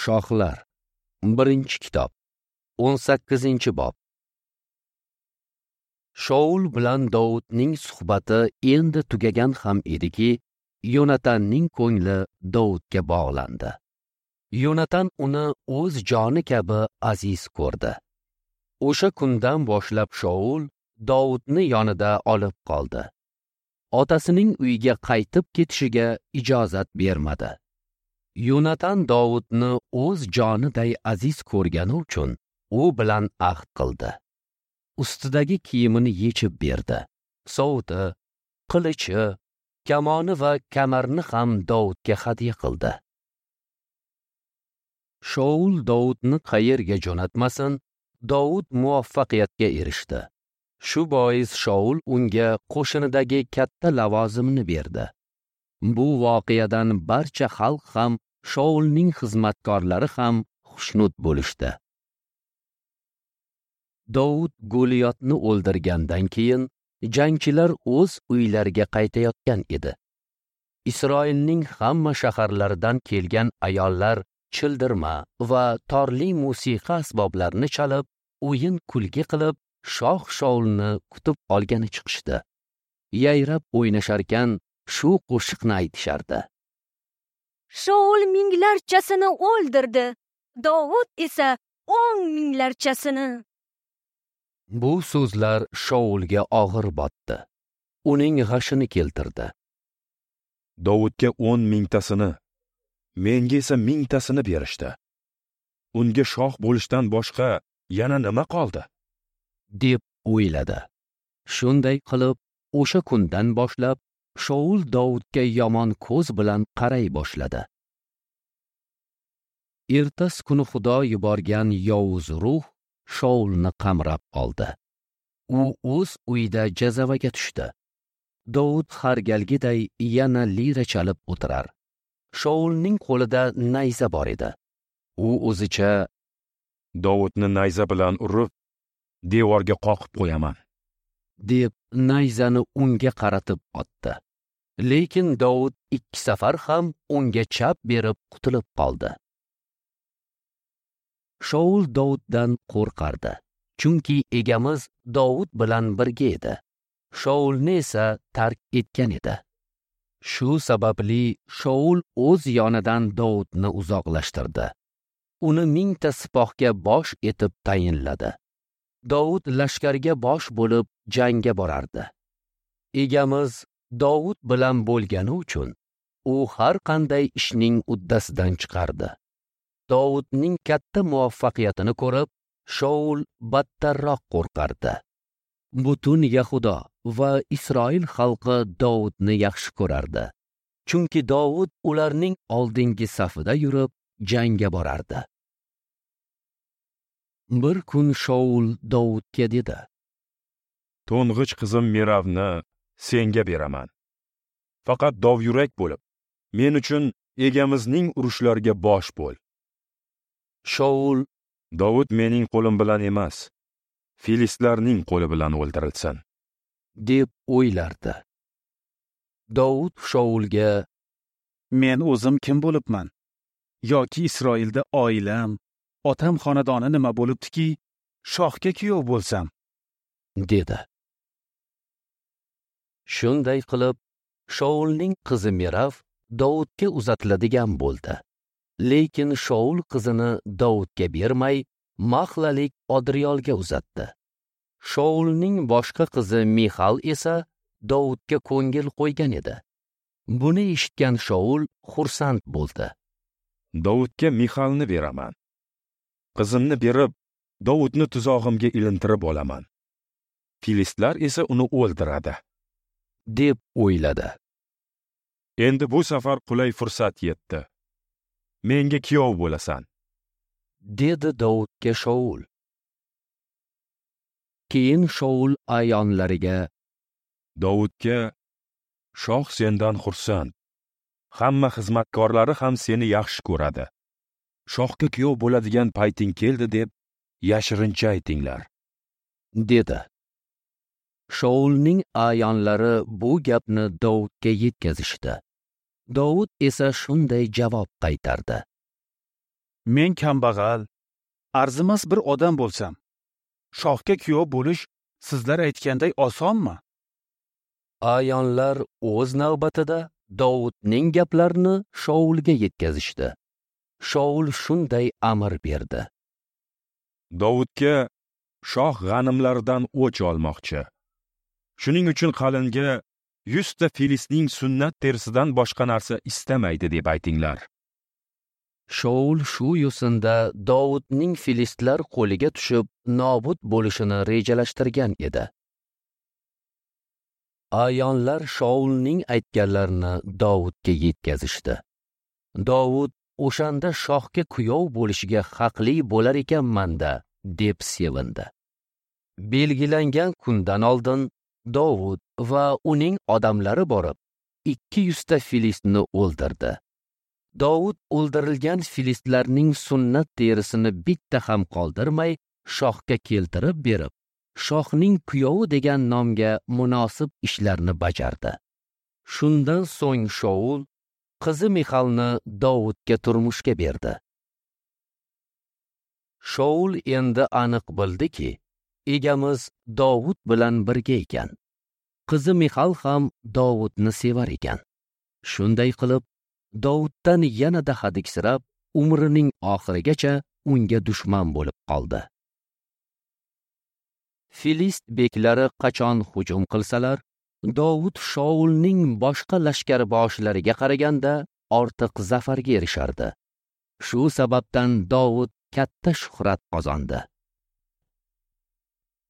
Shohlar, 1-kitob, 18-bob. Shaul bilan Dovudning suhbati endi tugagan ham ediki, Yonatanning ko'ngli Dovudga bog'landi. Yonatan uni o'z joni kabi aziz ko'rdi. O'sha kundan boshlab Shaul Dovudni yonida olib qoldi. Otasining uyiga qaytib ketishiga ijozat bermadi. Yonatan Dovudni o'z joniday aziz ko'rgani uchun u bilan ahd qildi. Ustidagi kiyimini yechib berdi. Sovuti, qilichi, kamoni va kamarni ham Dovudga hadya qildi. Shaul Dovudni qayerga jo'natmasin, Dovud muvaffaqiyatga erishdi. Shu bois Shaul unga qo'shinidagi katta lavozimni berdi. Bu voqeadan barcha xalq ham, Shaulning xizmatkorlari ham xushnud bo'lishdi. Dovud Goliyotni o'ldirgandan keyin jangchilar o'z uylariga qaytayotgan edi. Isroilning hamma shaharlaridan kelgan ayollar childirma va torli musiqa asboblarini chalib, o'yin kulgi qilib, shoh Shaulni kutib olgani chiqishdi. Yayrab o'ynasharkan shu qo'shiqni aytishardi. Shaul minglarchasini o'ldirdi, Dovud esa 10 minglarchasini. Bu so'zlar Shaulga og'ir botdi. Uning g'ashini keltirdi. Dovudga 10 mingtasini, menga esa mingtasini berishdi. Unga shoh bo'lishdan boshqa yana nima qoldi? Deb o'yladi. Shunday qilib, o'sha kundan boshlab Shaul Dovudga yomon ko'z bilan qaray boshladi. Ertasi kuni Xudo yuborgan yovuz ruh Shaulni qamrab oldi. U o'z uyida jazavaga tushdi. Dovud har galgiday yana lira chalib o'tirar. Shaulning qo'lida nayza bor edi. U o'zicha Dovudni nayza bilan urib, devorga qoqib qo'yaman, deb nayzani unga qaratib otdi. Lekin Dovud 2 safar ham unga chap berib qutulib qoldi. Shaul Dovuddan qo'rqardi, chunki egamiz Dovud bilan birga edi. Shaulni esa tark etgan edi. Shu sababli Shaul o'z yonidan Dovudni uzoqlashtirdi. Uni 1000 ta sipohga bosh etib tayinladi. Dovud lashkarga bosh bo'lib jangga borardi. Egamiz Dovud bilan bo'lgani uchun u har qanday ishning uddasidan chiqardi. Dovudning katta muvaffaqiyatini ko'rib, Shaul battarroq qo'rqardi. Butun Yahudo va Isroil xalqi Dovudni yaxshi ko'rardi. Chunki Dovud ularning oldingi safida yurib jangga borardi. Bir kun Shaul Dovudga dedi: "To'ng'ich qizim Meravni senga beraman. Faqat dovyurak bo'lib, men uchun egamizning urushlariga bosh bo'l." Shaul: "Dovud mening qo'lim bilan emas, filistlarning qo'li bilan o'ldirilsin," deb o'ylardi. Dovud Shaulga: "Men o'zim kim bo'libman? Yoki Isroilda oilam, otam xonadoni nima bo'libdiki, shohga kuyov bo'lsam?" dedi. Shunday qilib, Shaulning qizi Merav Dovudga uzatiladigan bo'ldi. Lekin Shaul qizini Dovudga bermay, Maxlalik Odriyolga uzatdi. Shaulning boshqa qizi Mixal esa Dovudga ko'ngil qo'ygan edi. Buni eshitgan Shaul xursand bo'ldi. "Dovudga Mixalni beraman. Qizimni berib, Dovudni tuzog'imga ilintirib olaman. Filistlar esa uni o'ldiradi," deb o'yladi. "Endi bu safar qulay fursat yetdi. Menga kuyov bo'lasan," dedi Dovudga Shaul. Keyin Shaul ayonlariga: "Dovudga, shoh sendan xursand. Hamma xizmatkorlari ham seni yaxshi ko'radi. Shohga kuyov bo'ladigan payting keldi deb yashirincha aytinglar," dedi. Shaulning ayonlari bu gapni Dovudga yetkazishdi. Dovud esa shunday javob qaytardi: Men kambag'al, arzimas bir odam bo'lsam, shohga kuyov bo'lish sizlar aytganday osonmi? Ayonlar o'z navbatida Dovudning gaplarini Shaulga yetkazishdi. Shaul shunday amr berdi: Dovudga shoh g'animlaridan o'ch olmoqchi. Shuning uchun qalinga 100 ta filistning sunnat terisidan boshqa narsa istamaydi deb aytinglar. Shaul shu yo'sinda Dovudning filistlar qo'liga tushib nobud bo'lishini rejalashtirgan edi. Ayonlar Shaulning aytganlarini Dovudga yetkazishdi. Dovud o'shanda shohga kuyov bo'lishga haqli bo'lar ekanman-da, deb sevindi. Belgilangan kundan oldin Dovud va uning odamlari borib 200 ta filistni o'ldirdi. Dovud o'ldirilgan filistlarning sunnat terisini bitta ham qoldirmay shohga keltirib berib, shohning kuyovi degan nomga munosib ishlarni bajardi. Shundan so'ng Shaul qizi Mixalni Dovudga turmushga berdi. Shaul endi aniq bildiki, egamiz Dovud bilan birga ekan. Qizi Mixal ham Dovudni sevar ekan. Shunday qilib, Dovuddan yanada hadiksirab, umrining oxirigacha unga dushman bo'lib qoldi. Filist beklari qachon hujum qilsalar, Dovud Shaulning boshqa lashkarboshlariga qaraganda ortiq zafarga erishardi. Shu sababdan Dovud katta shuhrat qozondi.